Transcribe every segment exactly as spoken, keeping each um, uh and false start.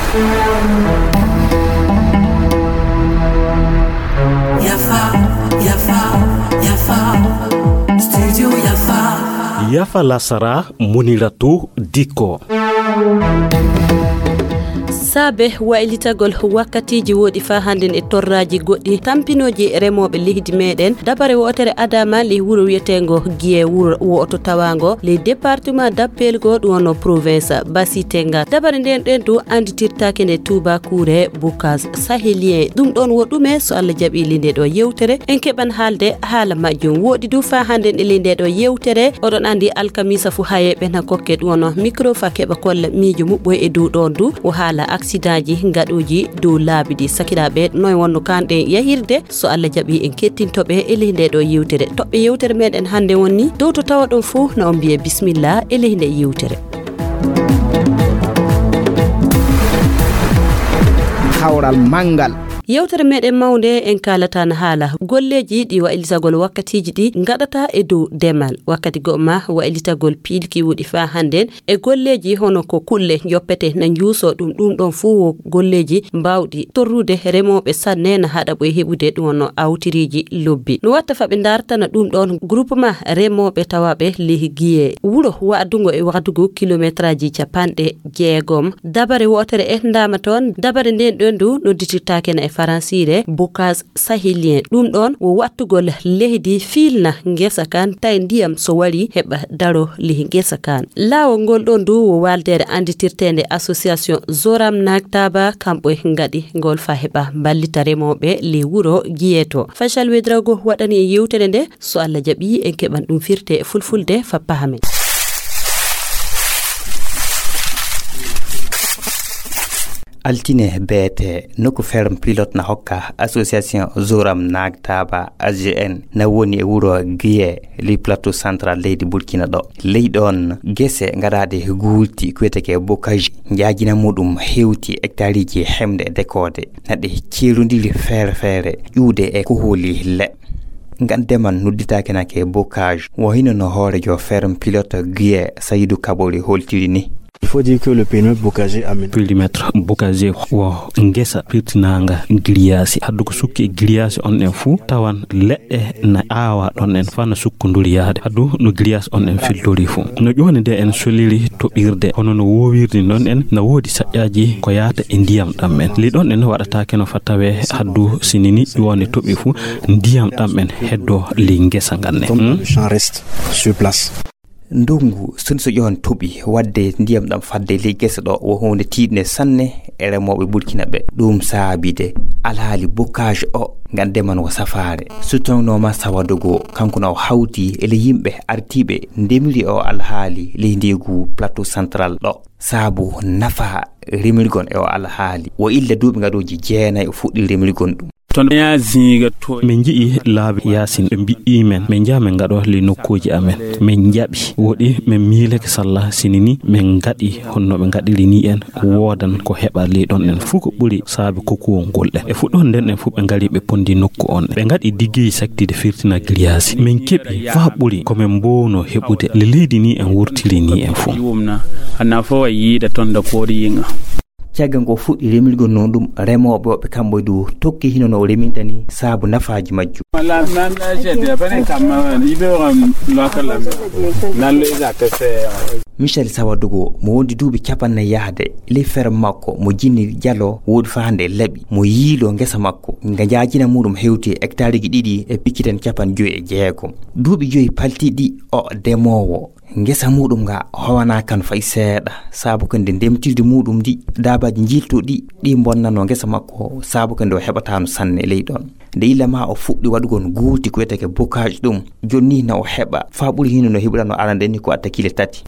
Yafa, yafa, yafa. Studio yafa. Yafa lasara, Muniratu Diko. Saabe waylitagol wakkatiiji woɗi faa hannden e torraaji goɗɗi tampinooji remooɓe leydi meeɗen, dabare wootere adaama ley wuro wiyeteengo Giye, wuro wo'oto tawaango ley département d'Appelgo, ɗum wonno province Basitenga. Dabare nden ɗen du annditirtaake nde tuubaakuure Bocage Sahélien. Ɗum ɗon wo ɗume? So Allah jaɓii ley nde ɗo yewtere, en keɓan haalde haala majjum. Woɗi du faa hannden e ley nde ɗo yewtere, oɗon anndi alkamiisa fuu hayeeɓe na kokke ɗum wonno micro faa keɓa kolla miijo muɓɓoy e dow ɗon du. O haala aksidaaji ngaɗooji dow laabi ɗi. Sakiraaɓe, noy wonno kanɗen yahirde? So Allah jaɓii en kettinto ɓe e ley nde ɗo yewtere. Toɓɓe yewtere meɗen hannde woni dow to tawa ɗon fuu na on mbiye bismillah e ley nde yewtere. Kawral manngal. Yewtere meɗen mawnde en kaalata na haala golleeji ɗi waylitagol wakkatiiji ɗi ngaɗata e dow demal. Wakkati go'o ma waylitagol piilki woɗi faa hannden e golleeji hono ko kulle joppete na njuuso ɗum, ɗum ɗon fuu wo golleeji mbaawɗi torrude remooɓe sanne na haɗa ɓoy heɓude ɗum wonno awtiriiji lobbi. No watta faa ɓe ndartana ɗum ɗon groupement remooɓe tawaaɓe ley Giye, wuro waɗungo e waɗugo kilometraaji capanɗe jeegom. Dabare wootere e ndaama toon, dabare nden ɗon du nodditirtaake na e faransiire Bocage Sahélien. Ɗum ɗon wo wattugol leydi fiilna ngesa kan, tawi ndiyam so wari heɓa daro ley ngesa kan. Laawol ngol ɗon du wo waaldeere annditirteende association Zoram Nagtaba, kamɓe ngaɗi ngol faa heɓa mballita remooɓe ley wuro Giye to. Faysal Wedrago waɗani en yewtere nde, so Allah jaɓii en keɓan ɗum firte e fulfulde faa pahamen. Altine beete, nokku ferme pilote na hokka association Zoram Nagtaba A G N na woni e wuro Giye, ley plateau central leydi Burkina ɗo. Ley ɗon gese ngaɗaaɗe guulti kuweteke bocage, njaajina muɗum hewti hectareji hemɗe e dekoode. Na ɗe ceerondiri feere feere, ƴuwde e kohooli leɗɗe. Ngan demal nodditaake nake bocage, wo hino no hoorejo ferme pilote Guiye Saydu Kabori holtiri ni. Il faut dire que le périmètre bocager aménagé. Périmètre bocager wo ngesa pirtinaanga giriyaasi. Haddu ko sukki e giriyaasi on en fuu, tawan leɗɗe na aawa ɗon en faa na sukkunduri yahde. Haddu no giriyaasi on en filtori fuu. No ƴooni de en soliri toɓirde, hono no woowirdi non en, na woodi saƴƴaaji ko yaata e ndiyam ɗam en. Ley ɗon en waɗataake no faa tawee haddu sinini ƴooni toɓi fuu, ndiyam ɗam en heddo ley ngesa ngan ne. Tant que le champ reste sur place. Ndungu, so, so ƴoon toɓi, waɗde ndiyam ɗam fadde ley gese ɗo, wo huunde tiiɗnde sanne e remooɓe Burkina ɓe. Ɗum saabide alhaali bocage o, ngan deman wo safaare. So tawnoo Massa Wadogo, kanko na o hawti e ley yimɓe artiiɓe ndemiri o alhaali ley ndeegu plateau central ɗo. Saabu nafa remirgon e o alhaali. Wo illa duuɓi ngaɗooji jeenayi o fuɗɗi remirgon ɗum. Ton ya zinga to. Min nji'i laabi yaasin, ɓe mbi'i men, min njaha min ngaɗo ley nokkuuji amen. Min njaɓi, woɗi min miilake salla sini ni min ngaɗi honno ɓe ngaɗiri ni en, woodan ko heɓa ley ɗon en fuu ko ɓuri saabi kokuwol ngol ɗen. E fuɗɗoode nden en fuu ɓe ngari ɓe pondi nokku on. Ɓe ngaɗi diggeyi saktide firtina giriyaasi. Min keɓi faa ɓuri ko min mboowno heɓude le leydi ni en wurtiri ni en fuu. Yiwum na, a nafa wa yiida ton da koodi yinga. Caggal ko fuɗɗi remirgol noon ɗum, remooɓe woɓɓe kamɓe du tokki hino no o reminta ni saabu nafaaji majjum. Wala nan jete bane kamma ibe ram lokal. Nan le zakase. Michel Sawadogo mo wondi duuɓi capannayi yahde, ley ferme makko mo jinni jalo woodi faa hannde e laɓi, mo yiilo ngesa makko nga njaajina muɗum hewti e hectareji ɗiɗi e picciten capanɗe joyi e jeegom. Duuɓi joyi paltiɗi o demoowo. Ngesa muɗum nga howanaa kan fay seeɗa, saabu ko nde ndemtirdi muɗum ndi, daabaaji njiltuɗi ɗi mbonnanoo ngesa makko, saabu ko nde o heɓataano sanne ley ɗon. Nde illa ma o fuɗɗi waɗugol guulti ko wiyetee bocage ɗum, jooni nii na o heɓa faa ɓuri hino no heɓuranoo arande ni ko atta kile tati.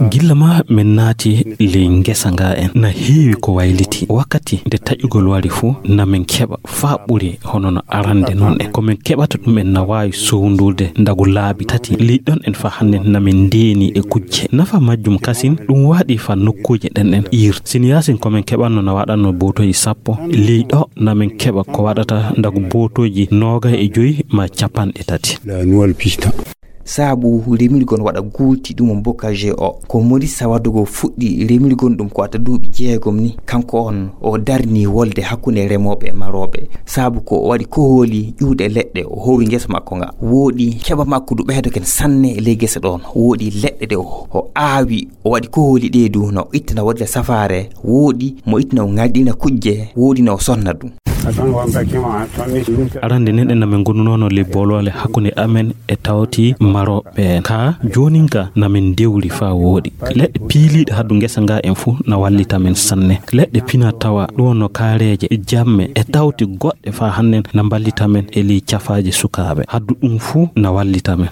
Gilla ma min naati ley ngesa nga en, na heewi ko wayliti. Wakkati nde taƴugol wari fuu, na min keɓa faa ɓuri hono no arande non en. Ko min keɓata ɗum en na waawi sowndurde ndagu laabi tati. Ley ɗon en faa hannde na min ndeeni e kujje. Nafa majjum kasin, ɗum waɗi faa nokkuuje ɗen en iir. Sini yaasin ko min keɓanno na waɗanno bootoji sappo. Ley ɗo na min keɓa ko waɗata ndagu bootoji noogay e joyi maa capanɗe tati. La nouvelle piste. Saabu remirgol waɗa guulti ɗum on bocage o, ko Maurice Sawadogo fuɗɗi remirgol ɗum ko adda duuɓi jeegom ni. Kanko on o darni wolde hakkunde remooɓe e marooɓe, saabu ko o waɗi kohooli ƴuuɗe leɗɗe, o hoowi ngesa makko nga. Wooɗi keɓa makko du ɓeydoken sanne e ley gese ɗon. Wooɗi leɗɗe ɗe o, o aawi, o waɗi kohooli ɗe du no ittina waɗira safaare. Wooɗi mo ittina o ŋarɗina kujje, wooɗi no o sonna du. Arande nden en amin gonunoono ley booloole hakkunde amen e tawti marooɓe en. Ka joonin ka namin dewri faa wooɗi. Leɗɗe piiliiɗe haddu ngesa nga en fuu na wallita men sanne. Leɗɗe pina tawa ɗum no kaareeje, jamme e tawti goɗɗe faa hannen na mballita men e ley cafaaje sukaaɓe. Haddu ɗum fuu na wallita men.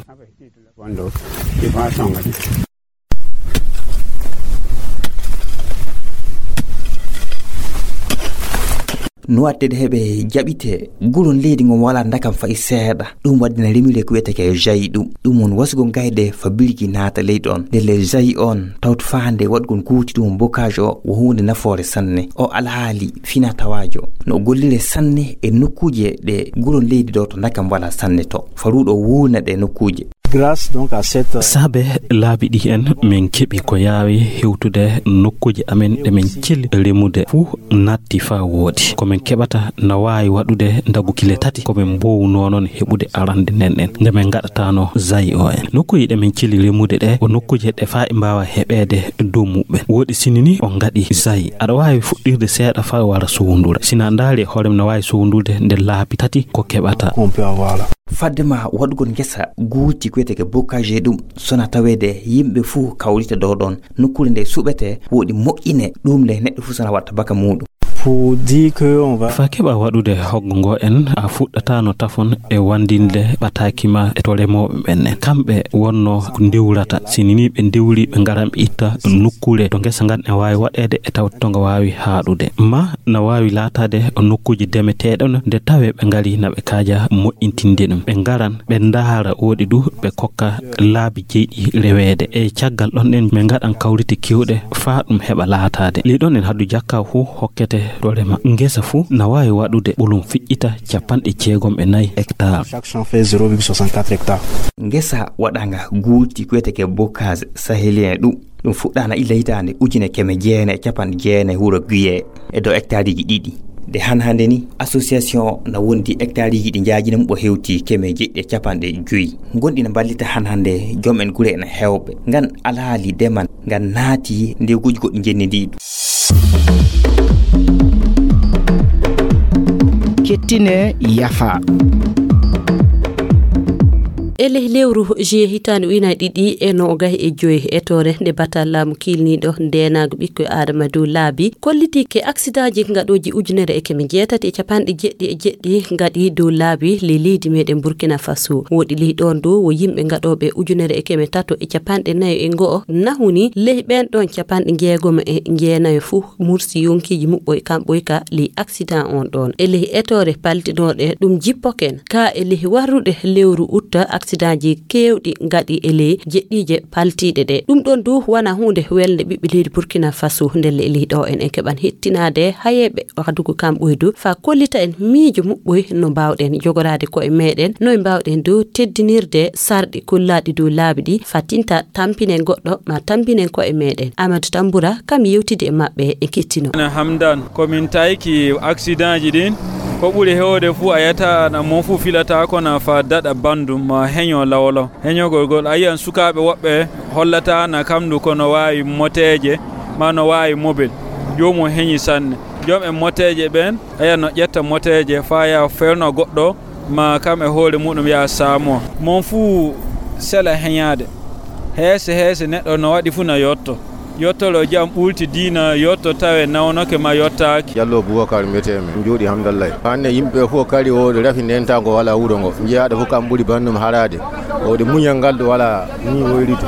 No waɗtede heɓe jaɓite, gulon leydi ngon walaa ndakam fay seeɗa. Ɗum waɗdina remire ko wiyetee ke jayi ɗum. Ɗum won wasugol gayde fa birgi naata ley ɗon. Ndelle jayi on tawto faande waɗgol guuti ɗum bocage o wo huunde nafoore sanne. O alhaali fina tawaajo. No gollire sanne e nokkuuje ɗe gulon leydi ɗo to ndakam walaa sanne to. Faruɗo wuurna ɗe nokkuuje. Grâce donc à cette Saabe laabi ɗi en min keɓi ko yaawi hewtude nokkuuje amen ɗe min cili remude fuu natti faa wooɗi. Ko min keɓata na waawi waɗude ndagu kile tati ko min mboowunoo noon heɓude arande nden en nde min ngaɗataano jayi o en. Nokkuuje ɗe min cili remude ɗe ko nokkuuje ɗe faa e mbaawa heɓeede dow muɓɓen. Wooɗi sini ni on ngaɗi jayi. Aɗa waawi fuɗɗirde seeɗa faa wara sowndura. Sina ndaari e hoore mum na waawi sowndurde nde laabi tati ko keɓata. Qu'on peut avoir là. Fadde ma waɗugol ngesa guuti ko wiyetee ke bocage ɗum, sona taweede yimɓe fuu kawrita dow ɗon. Nokkuure nde suɓete wooɗi moƴƴine, ɗum le neɗɗo fuu sona watta baka muuɗum. Pour dire que on va Fa keɓa waɗude hoggo ngo en, a fuɗɗataano tafon e wandinde ɓataaki ma e to remooɓe ɓen en. Kamɓe wonno ko ndewrata. Sini ni ɓe ndewri ɓe ngaran ɓe itta nokkuure to ngesa ngan e waawi waɗeede e tawti to nga waawi haaɗude. Ma na waawi laataade nokkuuje demeteeɗe no nde tawee ɓe ngari na ɓe kaaja moƴƴintinde ɗum. Ɓe ngaran, ɓe ndaara wooɗi du, ɓe kokka laabi jeyɗi reweede. E caggal ɗon ɗen, ɓe ngaɗan kawrite keewɗe faa ɗum heɓa laataade. Ley ɗon en haddu jakka fuu hokkete to rema. Ngesa fuu na waawi waɗude ɓolum fiƴƴita capanɗe jeegom e nayi hectare. Chaque champ fait zéro virgule soixante-quatre hectares. Ngesa waɗaanga guuti ko wiyetee ke bocage sahélien ɗum. Ɗum fuɗɗaana illa hitaande ujune keme jeenayi e capanɗe jeenayi wuro Guiye e dow hectareji ɗiɗi. Nde han hannde ni, association na wondi hectareji ɗi njaajina mum o hewti keme jeɗɗi e capanɗe joyi. Gonɗi na mballita han hannde joom en gure ena heewɓe. Ngan alhaali demal ngan naati nde guji goɗɗi njenndiiɗi. Kettine yafa. E ley lewru juillet hitaande ujunaaji ɗiɗi e noogay e joy, etoore nde batal laamu kiilniiɗo ndeenaagu ɓikkoy Aadama dow laabi kolliti ke aksidaaji ngaɗooji ujunere e keme jeetati e capanɗe jeɗɗi e jeɗɗi ngaɗi dow laabi ley leydi meɗen Burkina Faso. Woɗi ley ɗon dow wo yimɓe ngaɗooɓe ujunere e keme tato e capanɗe nayo e ngo'o nahuni ley ɓen ɗon capanɗe njeegomo e njeenayo fuu mursi yonkiiji muɓɓoy kamɓoy ka ley aksidan on ɗon. E ley etoore paltinooɗe ɗum jippoken ka e ley warruɗe lewru utta, aksidaaji keewɗi ngaɗi e ley jeɗɗiije paltiiɗe ɗe. Ɗum ɗon du wana huunde welnde ɓiɓɓe leydi Burkina Faso, ndelle e ley ɗo en en keɓan hettinaade hayeeɓe wadugo kamɓoy du fa kollita en miijo muɓɓoy no mbaawɗen jogoraade ko'e meɗen, no mbaawɗen du teddinirde sarɗi kollaaɗi dow laabi ɗi fa tinta tampinen goɗɗo ma tampinen ko'e meɗen. Amadou Tambura kam yewtidi e maɓɓe e kettino. Ene Hamdan, ko min tayki aksidanji ɗin, ko ɓuri hewde fuu a yata na mon fuu filata kono fa daɗa bandum ma heño lawlaw. Heñogol gol a yiyan sukaaɓe woɓɓe hollata na kamdu kono waawi moteeje ma no waawi mobil. Joomum heñi sanne. Joom en moteeje ɓen a yiyan no ƴetta moteeje fa ya ferno goɗɗo ma kam e hoore muɗum ya saamo. Mon fuu sela heñaade. Heese heese neɗɗo no waɗi fuu na yotto. Yottoro jam ɓulti diina yotto tawe nawnoke ma yottaaki. Jallo Bubakar mbiyetee mi. Jooɗi hamdallay. Hannde yimɓe fof kari o rafi ndentaango wala wuro ngo. Njeyaaɗo fof kam ɓuri banndum haraade. O de muñal ngal ɗo wala ni woyrito.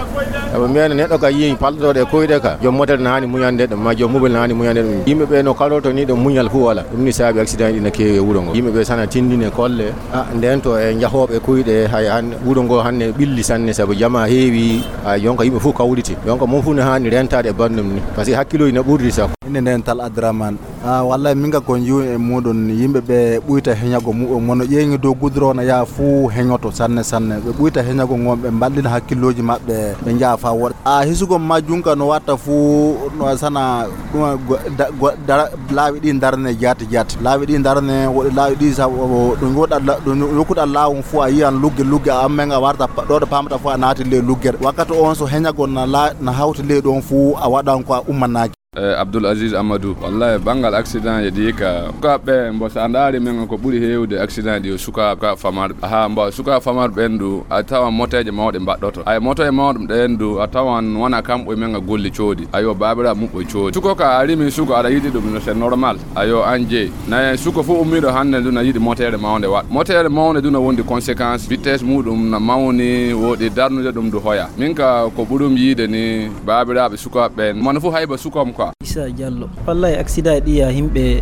Sabu mbiyen neɗɗo ka yiyi palɗoɗo e koyɗe ka. Joom motere na hani muñande ɗum, ma joom mobel na hani muñande ɗum. Yimɓe ɓe no karorto ni ɗo muñal fof wala. Ɗum ni saabi accident ɗi na keewi e wuro ngo. Yimɓe ɓe sana tindine kolle. Ah, nden to e jahooɓe kuyɗe, hay han wuro ngo hanne ɓilli sanne, sabu jama heewi, hay jonka yimɓe fof kawriti. Jonka mon fof ne haani rentaade e banndum ni, parce que hakkilooji ne ɓurri sago. Inde nden Tal Adraman, Ah, wallay, min ga ko njiw e muɗum, yimɓe ɓe ɓuyta heñago muɓɓe, mono ƴeeŋi dow gudro na yaha fuu heñoto sanne sanne. Ɓe ɓuyta heñago ngon, ɓe mballina hakkillooji maɓɓe, ɓe njaha faa woɗa. A hisugol ma junka no watta fuu, no sana ɗum go-, da-, go-, dara-, laawi ɗi darne jaati jaati. Laawi ɗi darne, woɗi laawi ɗi sa-, o-, o-, ɗum woɗa la-, ɗum yokkuɗa laawol fuu a yiyan lugge lugge, a ammen a warta pa-, ɗo ɗo paamata fuu a naati ley luggere. Wakkati on so heñagol na la-, na hawti ley ɗon fuu a waɗan ko a ummanaaki. Eh, Abdoul Aziz Amadou, wallahi, banngal accident e ɗi ka, sukaaɓe ɓen, mbo, so a ndaari men ko ɓuri heewde accident ɗi o sukaaɓe, sukaaɓe famarɓe. Aha, mbo, sukaaɓe famarɓe ɓen du, a tawan moteeje mawɗe mbaɗɗoto. Ay, moteeje mawɗe ɗen du, a tawan wona kamɓe men golli coodi. Ayo, baabiraaɓe muɓɓe coodi. Suko ka a rimi suko, aɗa yiɗi ɗum, no, c'est normal. Ayo, an jeyi. Nayi suko fof ummiiɗo hannde du na yiɗi moteere mawnde waɗ. Moteere mawnde du na wondi conséquence, vitesse muɗum na mawni, woɗi darnude ɗum du hoya. Min ka ko ɓurum yiide ni, baabiraaɓe sukaaɓe ɓen, mano fof hayba sukom quoi. Issa Diallo. Wallahi, accident e ɗi ya himɓe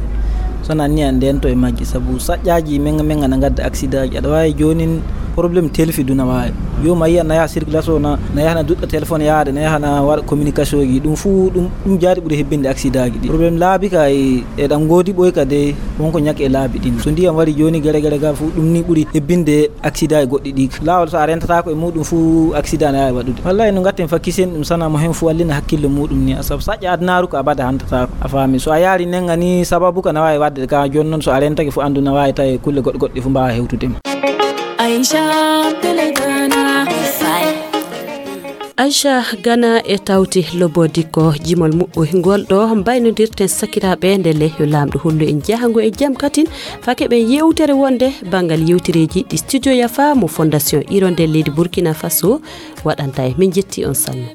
sona ni an ndento e majji, sabu saƴƴaaji menga menga na ngadda accident ji. Aɗa waawi joonin problème telfi du na waawi. Yo ma yiya na yaha circulation na, na yaha na duɗɗa téléphone yaade, na yaha na waɗa communication ji. Ɗum fuu ɗum, ɗum jaati ɓuri hebbinde accident ji ɗi. Problème laabi ka e, e ɗan ngoodi ɓoy ka de, wonko ñaki e laabi ɗin. So ndiyam wari jooni gere gere ga fuu ɗum ni ɓuri hebbinde accident e goɗɗi ɗi. Laawol so a rentataako e muɗum fuu accident ne waawi waɗude. Wallahi no ngatten fa kisen ɗum sana mo hen fuu wallina hakkille muɗum ni. Sabu saƴƴa adunaaru ko abada hantataako. A faami? So a yaari nenga ni sababu ka na waawi waɗde ka jooni noon so a rentake fuu anndu na waawi tawi kulle goɗɗe goɗɗe fuu mbaawa hewtude ma. Aisha Abdul Gana. Aisha Gana e tawti lobodi ko jimol muɓɓoy ngol ɗo mbaynodirten sakiraaɓe nde le yo laamɗo hollu en jahango e jam katin fake ɓen yewtere wonde banngal yewtereeji ɗi studio yafa mo fondation Hirondelle leydi Burkina Faso waɗanta e min jetti on sanne.